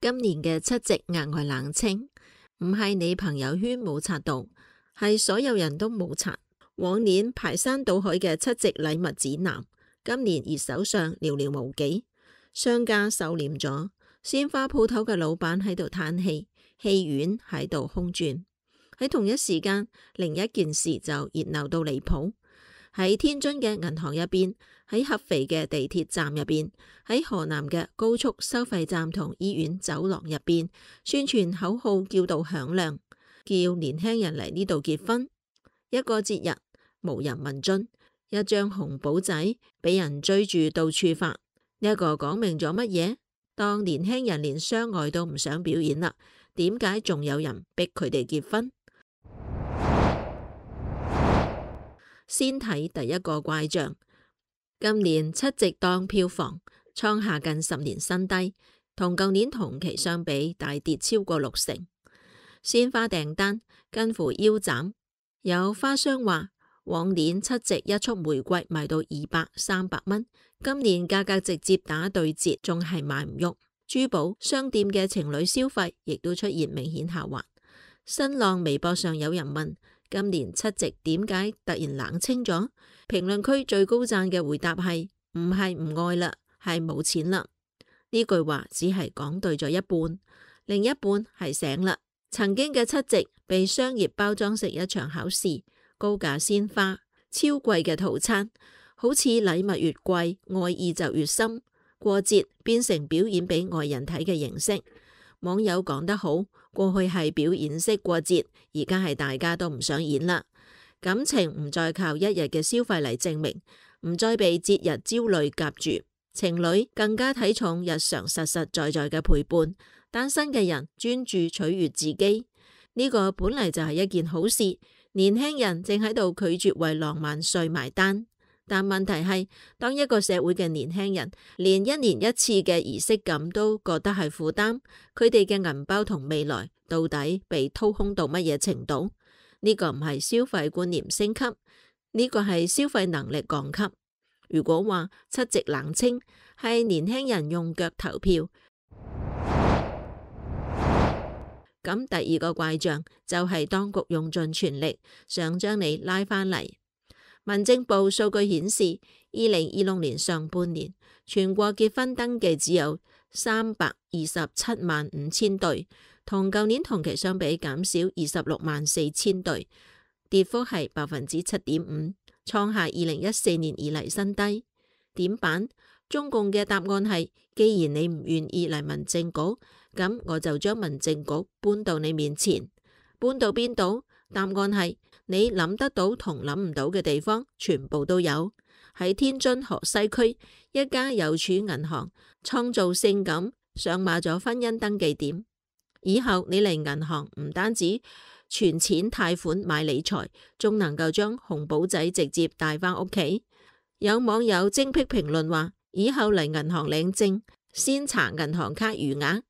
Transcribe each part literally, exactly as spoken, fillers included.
今年嘅七夕額外冷清，唔係你朋友圈冇刷到，係所有人都冇刷。往年排山倒海嘅七夕禮物指南，今年熱搜上寥寥無幾，商家收斂咗，鮮花鋪頭嘅老闆喺度嘆氣，戲院喺度空轉。喺同一時間，另一件事就熱鬧到離譜。喺天津嘅銀行入邊，喺合肥嘅地鐵站入邊，喺河南嘅高速收費站同醫院走廊入邊，宣傳口號叫到響亮，叫年輕人嚟呢度結婚。一個節日無人問津，一張紅簿仔俾人追住到處發。呢一個講明咗乜嘢？當年輕人連相愛都唔想表演啦，點解仲有人逼佢哋結婚？先睇第一個怪象，今年七夕檔票房創下近十年新低，同舊年同期相比大跌超過六成。鮮花訂單近乎腰斬，有花商話往年七夕一束玫瑰賣到二百、三百蚊，今年價格直接打對折，仲係賣唔喐。珠寶商店嘅情侶消費亦都出現明顯下滑。新浪微博上有人問，今年七夕點解突然冷清咗？評論區最高讚嘅回答係唔係唔愛啦，係冇錢啦。呢句話只係講對咗一半，另一半係醒啦。曾經嘅七夕被商業包裝成一場考試，高價鮮花、超貴嘅套餐，好似禮物越貴，愛意就越深。過節變成表演俾外人睇嘅形式。網友講得好，過去係表演式過節，而家係大家都唔想演啦。感情唔再靠一日嘅消費嚟證明，唔再被節日焦慮夾住。情侶更加睇重日常實實在在嘅陪伴。單身嘅人專注取悅自己，呢個本嚟就係一件好事。年輕人正喺度拒絕為浪漫稅埋單。但問題係，當一個社會嘅年輕人連一年一次嘅儀式感都覺得係負擔，佢哋嘅銀包同未來到底被掏空到乜嘢程度？呢個唔係消費觀念升級，呢個係消費能力降級。如果話七夕冷清係年輕人用腳投票，咁第二個怪象就係當局用盡全力想將你拉返嚟。民政部數據顯示，二零二六年上半年全國結婚登記只有三百二十七萬五千對，同舊年同期相比減少二十六萬四千對，跌幅係百分之七點五，創下二零一四年以嚟新低。點辦？中共嘅答案係，既然你唔願意嚟民政局，咁我就將民政局搬到你面前。搬到邊度？答案係你諗得到同諗唔到嘅地方，全部都有。喺天津河西區一家郵儲銀行創造性咁上馬咗婚姻登記點，以後你嚟銀行唔單止存錢貸款買理財，仲能夠將紅簿仔直接帶返屋企。有網友精闢評論話，以後嚟銀行領證，先查銀行卡餘額，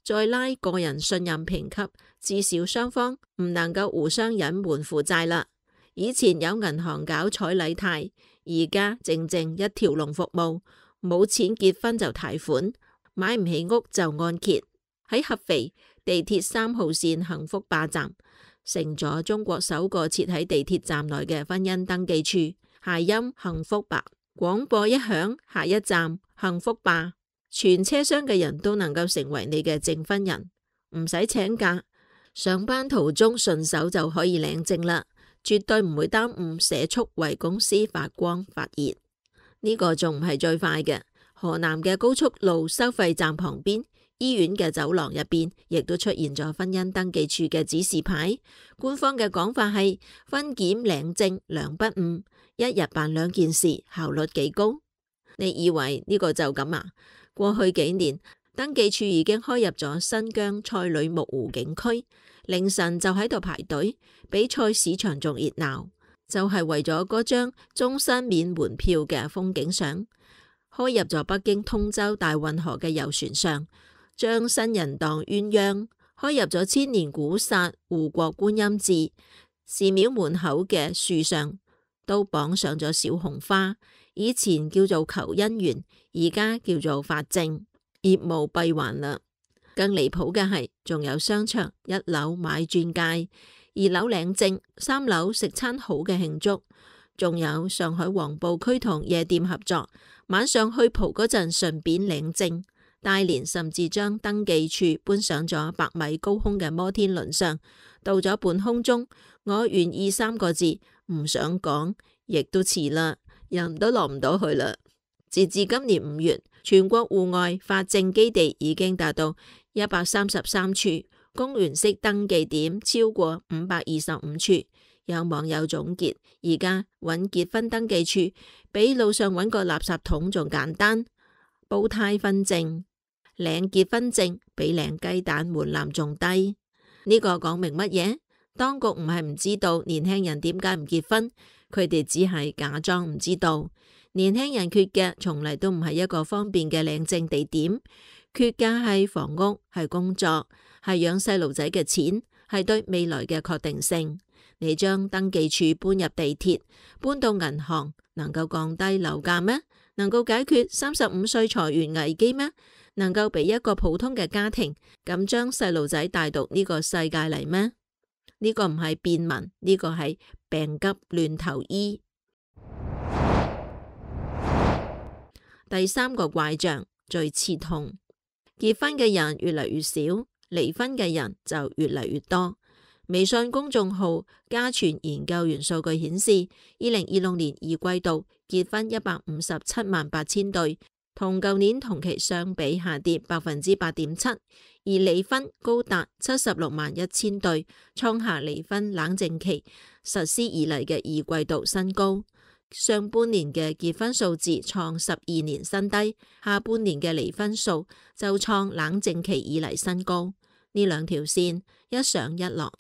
再拉個人信任評級，至少雙方唔能夠互相隱瞞負債啦。以前有銀行搞彩禮貸，而家正正一條龍服務，冇錢結婚就貸款，買唔起屋就按揭。喺合肥地鐵三號線幸福壩站，成咗中國首個設喺地鐵站內嘅婚姻登記處，諧音幸福壩，廣播一響，下一站幸福壩。全車廂嘅人都能夠成為你嘅證婚人，唔使請假，上班途中順手就可以領證啦，絕對唔會耽誤社畜為公司發光發熱。呢個仲唔係最快嘅，河南嘅高速路收費站旁邊，醫院嘅走廊入邊，亦都出現咗婚姻登記處嘅指示牌。官方嘅講法係婚檢領證兩不誤，一日辦兩件事，效率幾高。你以為呢個就咁啊？過去幾年，登記處已經開入咗新疆賽里木湖景區，凌晨就喺度排隊，比賽市場仲熱鬧，就係為咗嗰張終身免門票嘅風景相。開入咗北京通州大運河嘅遊船上，將新人蕩鴛鴦；開入咗千年古剎護國觀音寺，寺廟門口嘅樹上都綁上咗小紅花。以前叫做求姻緣，而家叫做發證，業務閉環啦。更離譜嘅係，仲有商場一樓買鑽戒，二樓領證，三樓食餐好嘅慶祝，仲有上海黃浦區同夜店合作，晚上去蒲嗰陣順便領證。大連甚至將登記處搬上咗百米高空嘅摩天輪上，到咗半空中，我願意三個字唔想講，亦都遲啦，人都落唔到去啦。截至今年五月，全國戶外法證基地已經達到一百三十三處，公園式登記點超過五百二十五處。有網友總結，而家揾結婚登記處比路上揾個垃圾桶仲簡單。煲呔婚證、領結婚證比領雞蛋門檻仲低。呢個講明乜嘢？當局唔係唔知道年輕人點解唔結婚，佢哋只係假裝唔知道。年輕人缺嘅從嚟都唔係一個方便嘅領證地點，缺嘅係房屋、係工作、係養細路仔嘅錢，係對未來嘅確定性。你將登記處搬入地鐵，搬到銀行，能夠降低樓價咩？能夠解決三十五歲裁員危機咩？能夠俾一個普通嘅家庭咁將細路仔帶到呢個世界嚟咩？呢個唔係便民，呢個係病急亂投醫。第三個怪象最刺痛，結婚嘅人越嚟越少，離婚嘅人就越嚟越多。微信公眾號家傳研究員數據顯示，二零二六年二季度結婚一百五十七萬八千對，同舊年同期相比下跌百分之八點七，而離婚高達七十六萬一千對，創下離婚冷靜期實施以嚟嘅二季度新高。上半年嘅結婚數字創十二年新低，下半年嘅離婚數就創冷靜期以嚟新高。呢兩條線一上一落，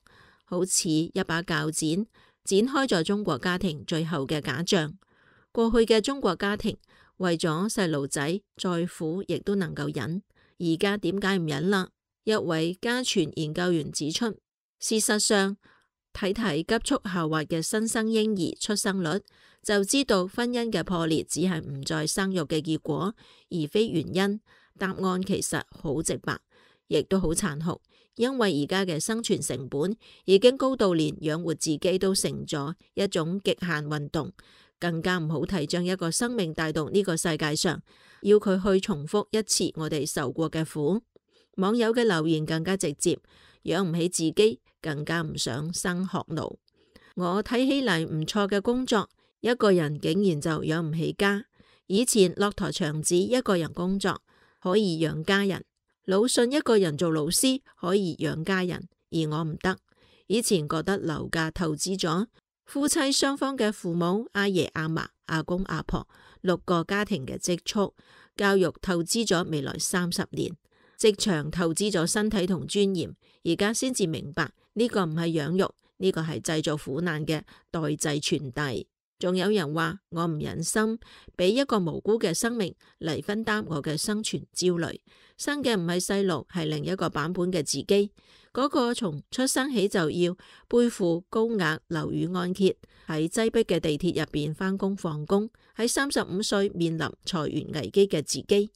好似一把鉸剪，剪開咗中國家庭最後嘅假象。過去嘅中國家庭為咗細路仔再苦亦都能夠忍，而家點解唔忍啦？一位家傳研究員指出，事實上睇睇急速下滑嘅新生嬰兒出生率，就知道婚姻嘅破裂只係唔再生育嘅結果，而非原因。答案其實好直白，亦都好殘酷，因為而家嘅生存成本已經高到連養活自己都成咗一種極限運動，更加唔好提將一個生命帶到呢個世界上，要佢去重複一次我哋受過嘅苦。網友嘅留言更加直接，養唔起自己，更加唔想生學奴。我睇起嚟唔錯嘅工作，一個人竟然就養唔起家。以前駱駝祥子一個人工作可以養家人，魯迅一個人做老師可以養家人，而我唔得。以前覺得樓價透支咗，夫妻雙方嘅父母、阿爺阿嫲、阿公阿婆六個家庭嘅積蓄，教育透支咗未來三十年，職場透支咗身體同尊嚴，而家先至明白呢個唔係養育，呢個係製造苦難嘅代際傳遞。仲有人話我唔忍心俾一個無辜嘅生命嚟分擔我嘅生存焦慮，生嘅唔係細路，係另一個版本嘅自己。嗰個從出生起就要背負高額樓宇按揭，喺擠迫嘅地鐵入邊返工放工，喺三十五歲面臨裁員危機嘅自己。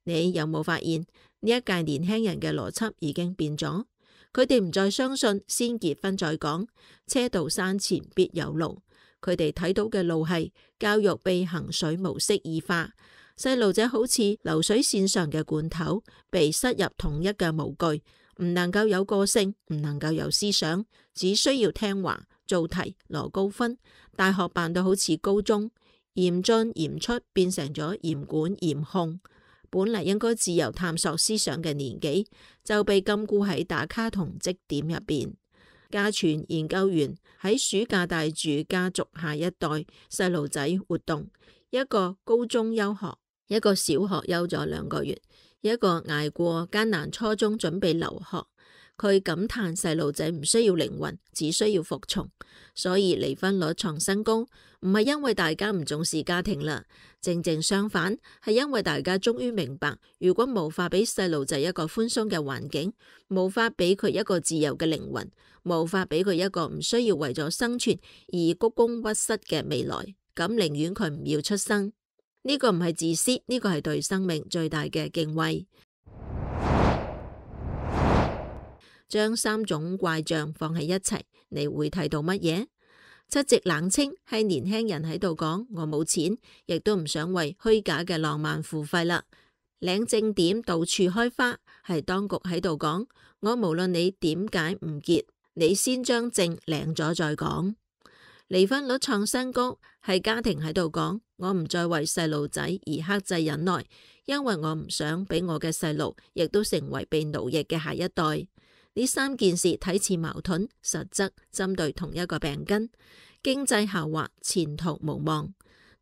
你有冇發現呢一屆年輕人嘅邏輯已經變咗？佢哋唔再相信先結婚再講，車到山前必有路。佢哋睇到嘅路係教育被衡水模式異化，細路仔好似流水線上嘅罐頭，被塞入統一嘅模具，唔能夠有個性，唔能夠有思想，只需要聽話、做題、攞高分。大學辦到好似高中，嚴進嚴出變成咗嚴管嚴控。本嚟應該自由探索思想嘅年紀，就被禁錮喺打卡同績點入邊。家傳研究員喺暑假帶住家族下一代細路仔活動，一個高中休學，一個小學休咗兩個月，一個捱過艱難初中準備留學。佢感嘆細路仔唔需要靈魂，只需要服從，所以離婚率創新高，唔係因為大家唔重視家庭啦，正正相反，係因為大家終於明白，如果無法俾細路仔一個寬鬆嘅環境，無法俾佢一個自由嘅靈魂，無法俾佢一個唔需要為咗生存而鞠躬屈膝嘅未來，咁寧願佢唔要出生。呢個唔係自私，呢個係對生命最大嘅敬畏。將三種怪象放喺一齊，你會睇到乜嘢？七夕冷清係年輕人喺度講，我冇錢，亦都唔想為虛假嘅浪漫付費啦。領證點到處開花係當局喺度講，我無論你點解唔結，你先將證領咗再講。離婚率創新高係家庭喺度講，我唔再為細路仔而克制忍耐，因為我唔想俾我嘅細路亦都成為被奴役嘅下一代。呢三件事睇似矛盾，實則針對同一個病根。經濟下滑，前途無望。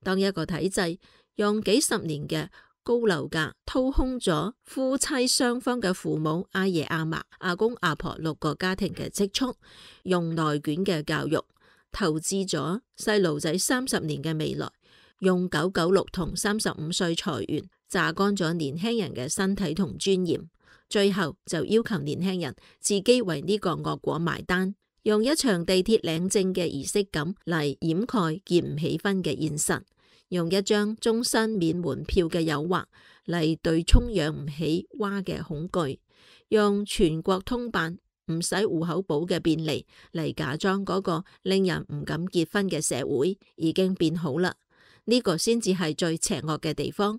當一個體制用幾十年嘅高樓價掏空咗夫妻雙方嘅父母、阿爺阿嫲、阿公阿婆六個家庭嘅積蓄，用內卷嘅教育投資咗細路仔三十年嘅未來，用九九六同三十五歲裁員榨乾咗年輕人嘅身體同尊嚴。最後就要求年輕人自己為呢個惡果埋單，用一場地鐵領證嘅儀式感嚟掩蓋結唔起婚嘅現實，用一張終身免門票嘅誘惑嚟對沖養唔起娃嘅恐懼，用全國通辦唔使戶口簿嘅便利嚟假裝嗰個令人唔敢結婚嘅社會已經變好啦。呢個先至係最邪惡嘅地方，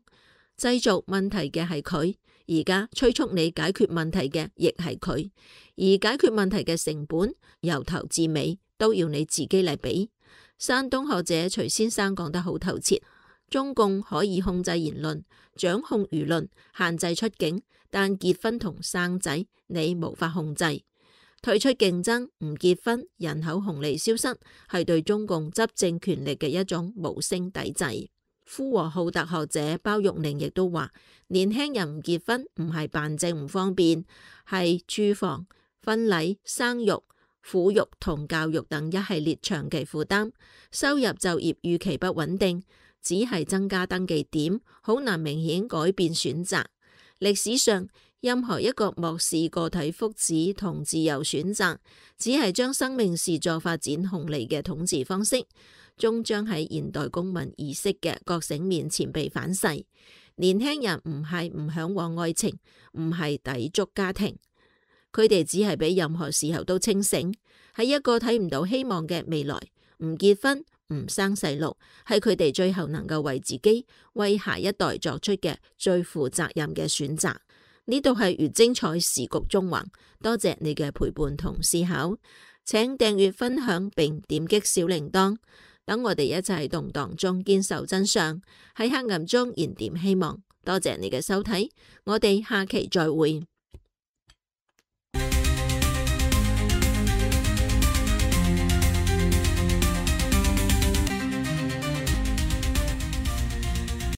製造問題嘅係佢。而家催促你解決問題嘅亦係佢，而解決問題嘅成本由頭至尾都要你自己嚟俾。山東學者徐先生講得好透徹，中共可以控制言論、掌控輿論、限制出境，但結婚同生仔你無法控制。退出競爭，唔結婚，人口紅利消失，係對中共執政權力嘅一種無聲抵制。呼和浩特學者包玉寧亦都話，年輕人唔結婚唔係辦證唔方便，係住房、婚禮、生育、撫育同教育等一系列長期負擔，收入就業預期不穩定，只係增加登記點，好難明顯改變選擇。歷史上任何一個漠視個體福祉同自由選擇，只係將生命視作發展紅利嘅統治方式，終將喺現代公民意識嘅覺醒面前被反噬。年輕人唔係唔向往愛情，唔係抵觸家庭，佢哋只係比任何時候都清醒。喺一個睇唔到希望嘅未來，唔結婚唔生細路，係佢哋最後能夠為自己、為下一代作出嘅最負責任嘅選擇。呢度係粵精彩時局中橫，多謝你嘅陪伴同思考，請訂閱分享並點擊小鈴鐺。等我哋一齊喺動盪中堅守真相，喺黑暗中燃點希望。多謝你嘅收睇，我哋下期再會。